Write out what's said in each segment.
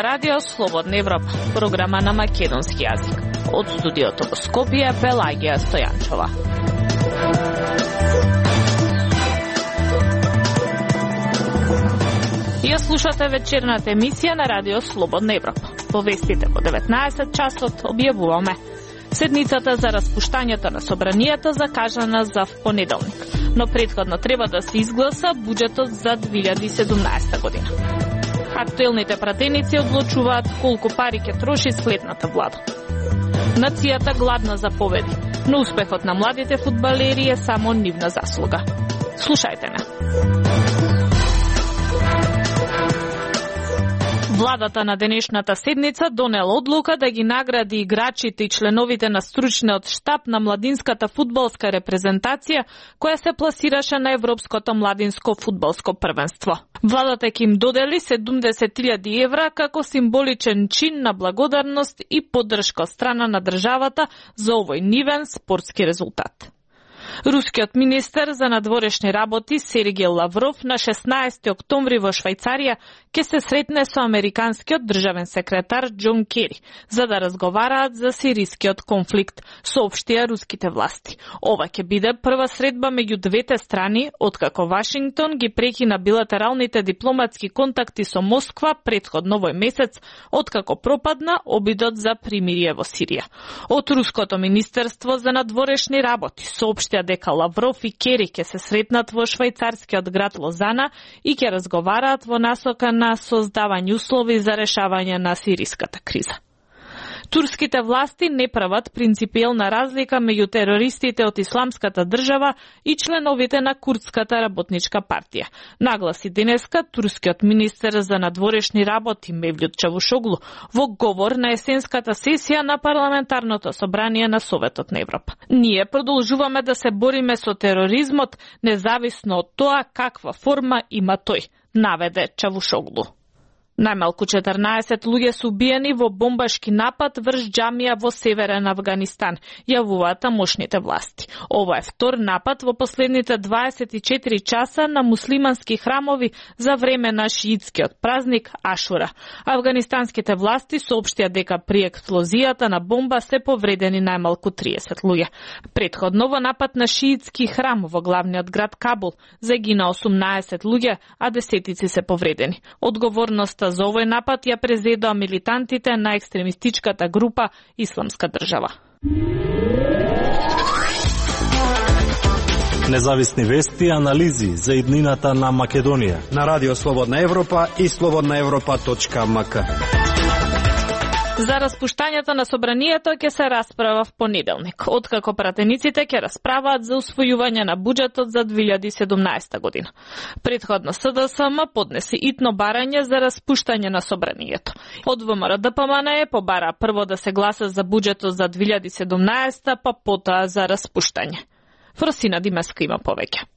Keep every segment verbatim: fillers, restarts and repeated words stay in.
ова радио Слободна Европа, програма на македонски јазик. Од студиото во Скопје, Пелагија Стојанчова. Ја слушате вечерната емисија на радио Слободна Европа. Во вестите во деветнаесет часот објавуваме седницата за распуштањето на собранието закажана за понеделник, но претходно треба да се изгласа буџетот за две илјади и седумнаесета година. Актуелните пратеници одлучуваат колку пари ќе троши следната влада. Нацијата гладна за победи, но успехот на младите фудбалери е само нивна заслуга. Слушајте не. Владата на денешната седница донела одлука да ги награди играчите и членовите на стручниот штаб на младинската фудбалска репрезентација која се пласираше на Европското младинско фудбалско првенство. Владата ќе им додели седумдесет илјади евра како символичен чин на благодарност и поддршка од страна на државата за овој нивен спортски резултат. Рускиот министер за надворешни работи Сергеј Лавров на шеснаесети октомври во Швајцарија ќе се сретне со американскиот државен секретар Џон Кери за да разговараат за сирискиот конфликт, соопштија руските власти. Ова ќе биде прва средба меѓу двете страни откако Вашингтон ги прекина билатералните дипломатски контакти со Москва претходно овој месец, откако пропадна обидот за примирие во Сирија. Од руското министерство за надворешни работи соопштија дека Лавров и Кери ќе се сретнат во швајцарскиот град Лозана и ќе разговараат во насока на создавање услови за решавање на сириската криза. Турските власти не прават принципиелна разлика меѓу терористите од Исламската држава и членовите на Курдската работничка партија. Нагласи денеска турскиот министер за надворешни работи Мевлют Чавушоглу во говор на есенската сесија на парламентарното собрание на Советот на Европа. Ние продолжуваме да се бориме со тероризмот, независно од тоа каква форма има тој, наведе Чавушоглу. Најмалку четрнаесет луѓе се убиени во бомбашки напад врз џамија во северен Авганистан, јавуваат тамошните власти. Ова е втор напад во последните дваесет и четири часа на муслимански храмови за време на шиитскиот празник Ашура. Авганистанските власти соопштија дека при експлозијата на бомба се повредени најмалку триесет луѓе. Претходно во напад на шиитски храм во главниот град Кабул загина осумнаесет луѓе, а десетици се повредени. Одговорноста за овој напад ја презедоа милитантите на екстремистичката група Исламска држава. Независни вести и анализи за иднината на Македонија на Радио Слободна Европа и слободна европа точка ем ка. За распуштањето на собранието ќе се расправа в понеделник, откако пратениците ќе расправаат за усвојување на буџетот за две илјади и седумнаесета година. Претходно С Д С М поднесе итно барање за распуштање на собранието. Од В М Р Д П М Н Е побара прво да се гласа за буџетот за две илјади и седумнаесета, па потоа за распуштање. Фросина Димеска има повеќе.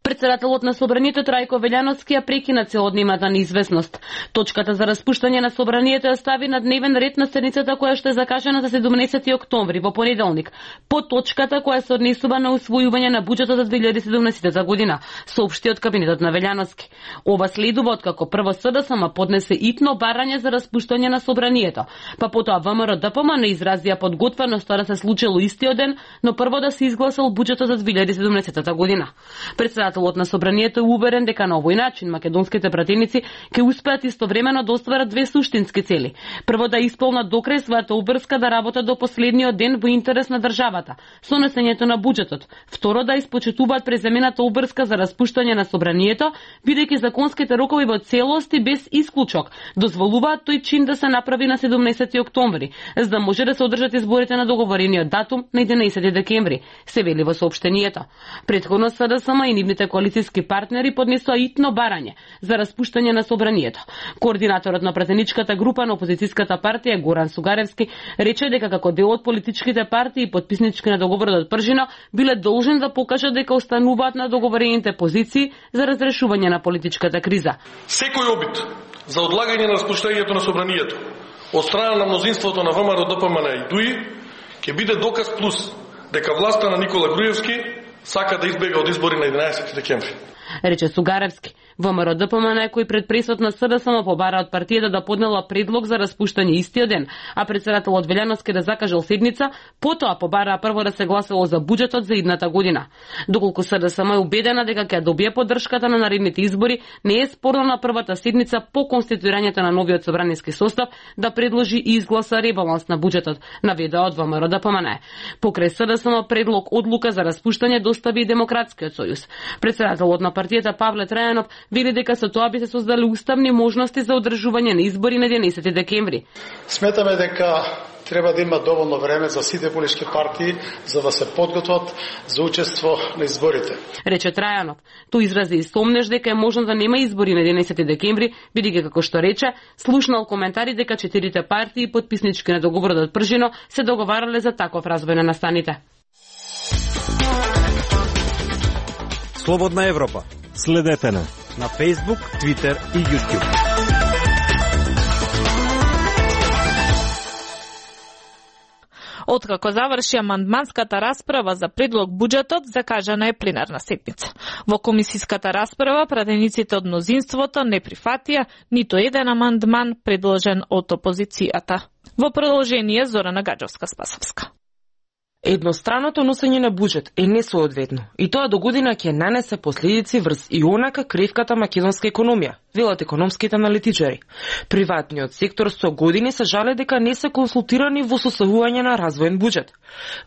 Председателот на собранието Трајко Велјановски ја прекина целодневната неизвестност. Точката за распуштање на собранието ја стави на дневен ред на седницата која што е закажана за седумнаесети октомври во понеделник, по точката која се однесува на усвојување на буџетот за две илјади и седумнаесета година, соопшти од кабинетот на Велјановски. Ова следува откако прво С Д С М поднесе итно барање за распуштање на собранието, па потоа В М Р Д П М Н изразија подготвеност да се случило истиот ден, но прво да се изгласал буџетот за две илјади и седумнаесета година. Председателот на собранието е уверен дека на овој начин македонските пратеници ќе успеат истовремено да остварат две суштински цели. Прво да исполнат до крај својата обврска да работат до последниот ден во интерес на државата, со несењето на буџетот. Второ да испочитуваат преземената обврска за распуштање на собранието, бидејќи законските рокови во целост и без исклучок дозволуваат тој чин да се направи на седумнаесети октомври, за да може да се одржат изборите на договорениот датум на единаесети декември, се вели во соопштението. Претходно С Д С М и нивните коалициски партнери поднесоа итно барање за распуштање на собранието. Координаторот на пратеничката група на опозицијската партија Горан Сугаревски рече дека како дел од политичките партии и потписнички на договорот од Пржина биле должни да покажат дека остануваат на договорените позиции за разрешување на политичката криза. Секој обид за одлагање на распуштањето на собранието од страна на мнозинството на В М Р Д П М Н и ДУИ ќе биде доказ плюс дека власта на Никола Груевски сака да избега од избори на единаесети декември. Рече Сугаревски. ВМРО Д П М Н кој пред пресот на С Д С М побара од партијата да поднела предлог за распуштање истиот ден, а председателот Велјановски да закажал седница, потоа побараа прво да се гласало за буџетот за идната година. Доколку С Д С М е убедена дека ќе добие поддршката на наредните избори, не е спорно на првата седница по конституирањето на новиот собраниски состав да предложи и изгласа ребаланс на буџетот, наведе од ВМРО Д П М Н. Покрај С Д С М предлог одлука за распуштање достави и Демократскиот сојуз. Председателот на партијата Павле Трајанов вели дека со тоа би се создали уставни можности за одржување на избори на единаесети декември. Сметаме дека треба да има доволно време за сите политички партии за да се подготват за учество на изборите. Рече Трајанов. Тој изрази и сомнеш дека е можно да нема избори на единаесети декември, бидејќи како што рече, слушнал коментари дека четирите партии потписнички на договорот од Пржино се договарале за таков развој на настаните. Слободна Европа. Следете на на Facebook, Twitter и YouTube. Откако заврши амандманската расправа за предлог буџетот, закажана е пленарна седница. Во комисиската расправа пратениците од мнозинството не прифатија ниту еден амандман предложен од опозицијата. Во продолжение Зорана Гаджовска-Спасовска. Едностраното носење на буџет е несоодветно и тоа до година ќе нанесе последици врз и онака кревката македонска економија, велат економските аналитичари. Приватниот сектор со години се жале дека не се консултирани во составување на развоен буџет.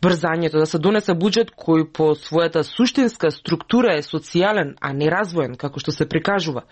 Брзањето да се донесе буџет кој по својата суштинска структура е социјален, а не развоен, како што се прикажува,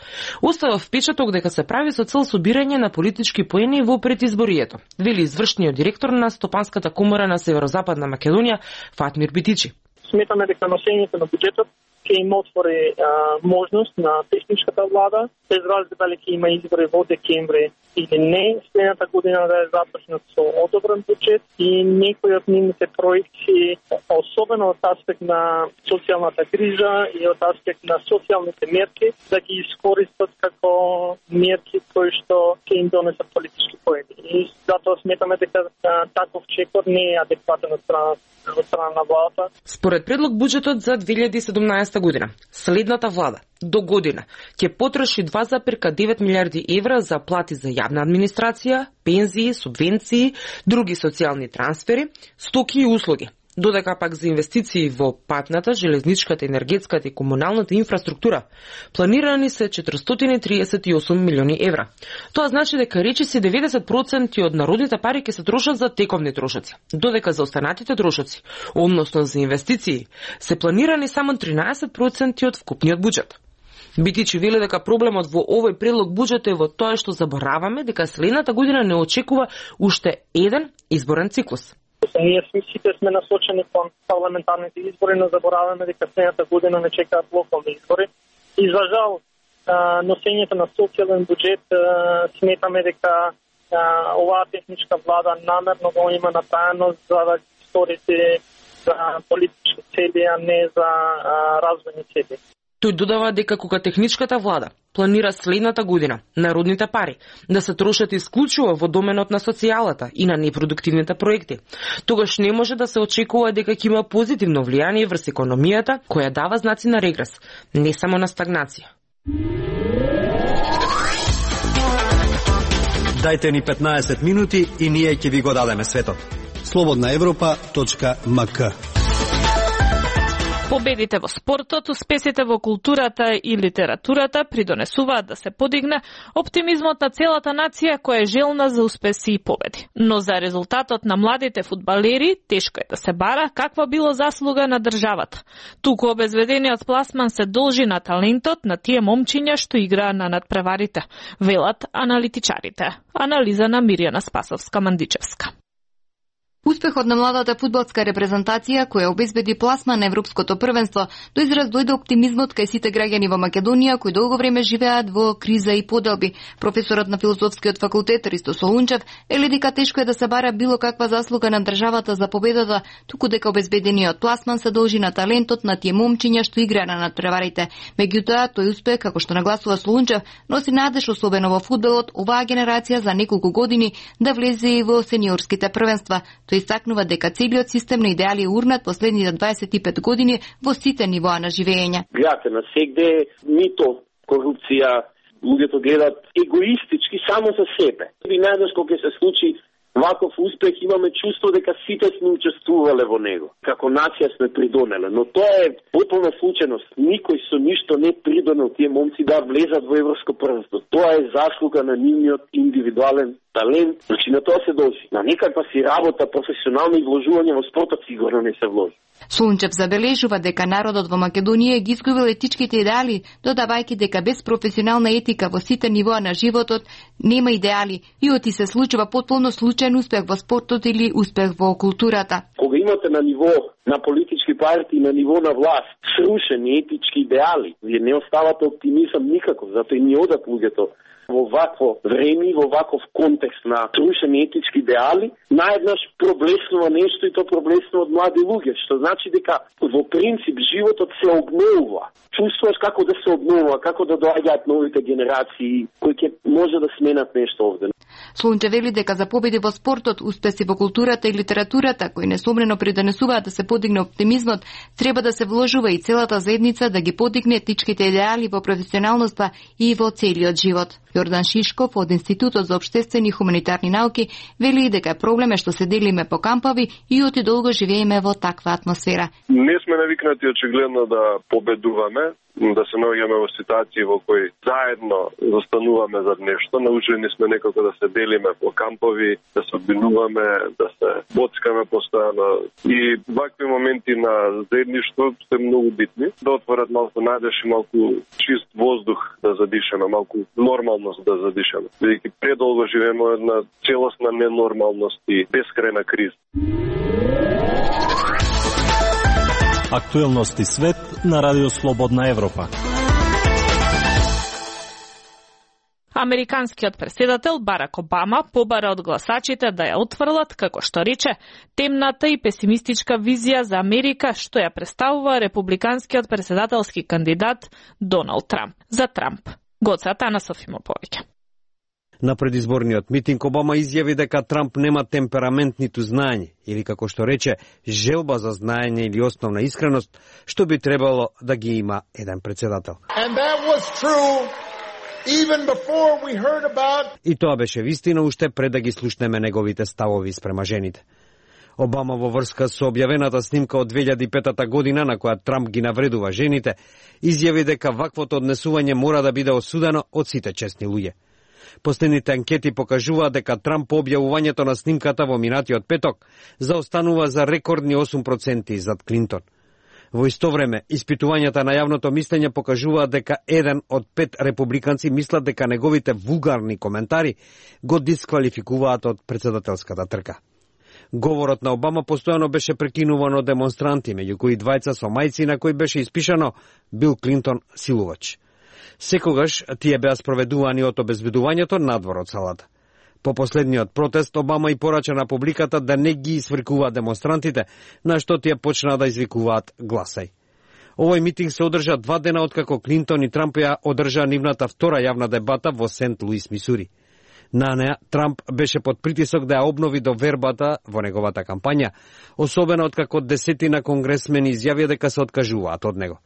остава впечаток дека се прави со цел собирање на политички поени во предизборието, вели извршниот директор на Стопанската комора на Северозападна Македонија Фатмир Битичи. Сметаме дека носењето на буџетот ќе им отвори а, можност на техничката влада, без разлика дали ќе има избори во декември или не, следната година да е започнат со одобрен буџет и некои од нивните проекти, особено од аспект на социјалната грижа и од аспект на социјалните мерки, да ги искористат како мерки кои што ќе им донесат политички поени. И затоа сметаме дека таков чекор не е адекватен од страна од страна на владата. Според предлог буџетот за две илјади и седумнаесета година, следната влада до година ќе потроши два зарез девет милиарди евра за плати за јавна администрација, пензии, субвенции, други социјални трансфери, стоки и услуги. Додека пак за инвестиции во патната, железничката, енергетската и комуналната инфраструктура планирани се четиристотини и триесет и осум милиони евра. Тоа значи дека речиси деветдесет проценти од народните пари ќе се трошат за тековни трошоци, додека за останатите трошоци, односно за инвестиции, се планирани само тринаесет проценти од вкупниот буџет. Битичи вели дека проблемот во овој предлог буџет е во тоа што забораваме дека следната година не очекува уште еден изборен циклус. Ние сите сме насочени кон парламентарните избори, но забораваме дека следната година не чекаат локални избори. И за жал, носењето на социјален буџет сметаме дека оваа техничка влада намерно го има направено за да сторите за политички цели, а не за развојни цели. Тој додава дека кога техничката влада планира следната година народните пари да се трошат исклучиво во доменот на социјалата и на непродуктивните проекти, тогаш не може да се очекува дека ќе има позитивно влијание врз економијата која дава знаци на регрес, не само на стагнација. Дајте ни петнаесет минути и ние ќе ви го дадеме светот. слободна европа точка ем ка. Победите во спортот, успесите во културата и литературата придонесуваат да се подигне оптимизмот на целата нација која е желна за успеси и победи. Но за резултатот на младите фудбалери тешко е да се бара каква било заслуга на државата. Туку обезведениот пласман се должи на талентот на тие момчиња што играа на надпреварите, велат аналитичарите. Анализа на Мирјана Спасовска-Мандичевска. Успехот на младата фудбалска репрезентација која обезбеди пласма на европското првенство до израз дојде оптимизмот кај сите граѓани во Македонија кои долго време живеат во криза и поделби. Професорот на филозофскиот факултет Ристо Солунчев вели дека тешко е да се бара било каква заслуга на државата за победата, туку дека обезбедениот пласман се должи на талентот на тие момчиња што играа на надпреварите. Меѓутоа, тој успех, како што нагласува Солунчев, носи надеж особено во фудбалот оваа генерација за неколку години да влезе и во сениорските првенства. Тој истакнува дека целиот систем на идеали е урнат последните дваесет и пет години во сите нивоа на живење. Гледате на сегде, нито корупција, луѓето гледат егоистички само за себе. И најдеш кога ќе се случи ваков успех, имаме чувство дека сите сме учествувале во него. Како нација сме придонеле, но тоа е потполна случајност. Никој со ништо не придонел тие момци да влезат во европско првенство. Тоа е заслуга на нивниот индивидуален талент. Значи на тоа се дължи. На некаква си работа, професионално изложување во спортот сигурно не се вложи. Слунчев забележува дека народот во Македонија ги изгубил етичките идеали, додавајќи дека без професионална етика во сите нивоа на животот нема идеали и оти се случува потполно случаен успех во спортот или успех во културата. Кога имате на ниво на политички партии, на ниво на власт, срушени етички идеали, вие не оставате оптимизам никако, затоа и ни одат луѓето во вакво време, во ваков контекст на срушени етички идеали, наеднаш проблеснува нешто и то проблеснува од млади луѓе, што значи дека во принцип животот се обновува. Чувствуваш како да се обновува, како да доаѓаат новите генерации кои ќе може да сменат нешто овде. Слунчев вели дека за победи во спортот, успеси во културата и литературата, кои несомнено придонесуваат да се подигне оптимизмот, треба да се вложува и целата заедница да ги подигне етичките идеали во професионалноста и во целиот живот. Јордан Шишков од Институтот за општествени и хуманитарни науки вели дека проблем е што се делиме по кампови и оти долго живееме во таква атмосфера. Не сме навикнати очигледно да победуваме, да се наоѓаме во ситуации во кои заедно застануваме за нешто. Научени сме некако да се делиме по кампови, да се обвинуваме, да се боцкаме постојано. И вакви моменти на заедништво се многу битни. Да отворат малку надеж и малку чист воздух да задишаме, малку нормалност да задишаме. Бидејќи предолго живееме една целосна ненормалност и бескрајна криза. Актуелности свет на Радио Слободна Европа. Американскиот претседател Барак Обама побара од гласачите да ја отфрлат, како што рече, темната и песимистичка визија за Америка што ја представува републиканскиот претседателски кандидат Доналд Трамп. За Трамп. Гоца Танасов има повеќе. На предизборниот митинг Обама изјави дека Трамп нема темперамент ниту знаење, или како што рече, желба за знаење или основна искреност, што би требало да ги има еден претседател. About... И тоа беше вистина уште пред да ги слушнеме неговите ставови спрема жените. Обама во врска со објавената снимка од две илјади и петата година на која Трамп ги навредува жените, изјави дека ваквото однесување мора да биде осудено од сите честни луѓе. Последните анкети покажуваат дека Трамп по објавувањето на снимката во минатиот петок заостанува за рекордни осум проценти зад Клинтон. Во исто време, испитувањата на јавното мислење покажуваат дека еден од пет републиканци мислат дека неговите вулгарни коментари го дисквалификуваат од претседателската трка. Говорот на Обама постојано беше прекинуван од демонстранти, меѓу кои двајца со мајци на кои беше испишано Бил Клинтон силувач. Секогаш тие беа спроведувани од обезбедувањето надвор од салата. По последниот протест, Обама и порача на публиката да не ги сврикуваат демонстрантите, на што тие почнаа да извикуваат гласај. Овој митинг се одржа два дена откако Клинтон и Трамп ја одржаа нивната втора јавна дебата во Сент Луис, Мисури. На неа Трамп беше под притисок да ја обнови довербата во неговата кампања, особено откако десетина конгресмени изјавија дека се откажуваат од него.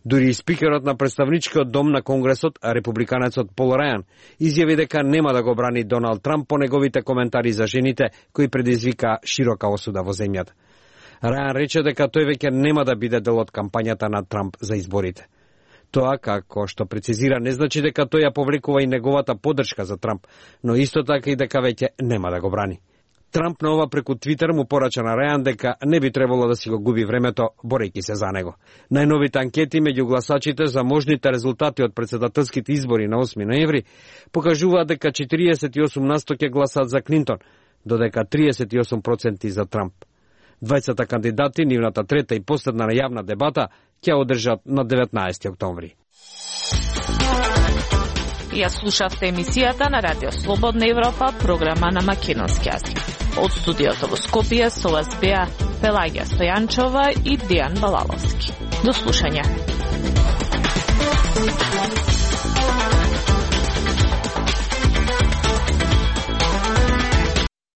Дури и спикерот на представничкиот дом на Конгресот, републиканецот Пол Рајан, изјави дека нема да го брани Доналд Трамп по неговите коментари за жените, кои предизвика широка осуда во земјата. Рајан рече дека тој веќе нема да биде дел од кампањата на Трамп за изборите. Тоа, како што прецизира, не значи дека тој ја повлекува и неговата поддршка за Трамп, но исто така и дека веќе нема да го брани. Трамп на ова преку Твитер му порача на Рајан дека не би требало да си го губи времето борејќи се за него. Најновите анкети меѓу гласачите за можните резултати од претседателските избори на осми ноември покажуваат дека четириесет и осум на сто ќе гласат за Клинтон, додека триесет и осум проценти за Трамп. Двајцата кандидати, нивната трета и последна јавна дебата, ќе одржат на деветнаесети октомври. Ја слушавте емисијата на Радио Слободна Европа, програма на македонски јазик. Од студиото во Скопје со вас беа Пелагија Стојанчова и Дијан Балаловски. До слушање.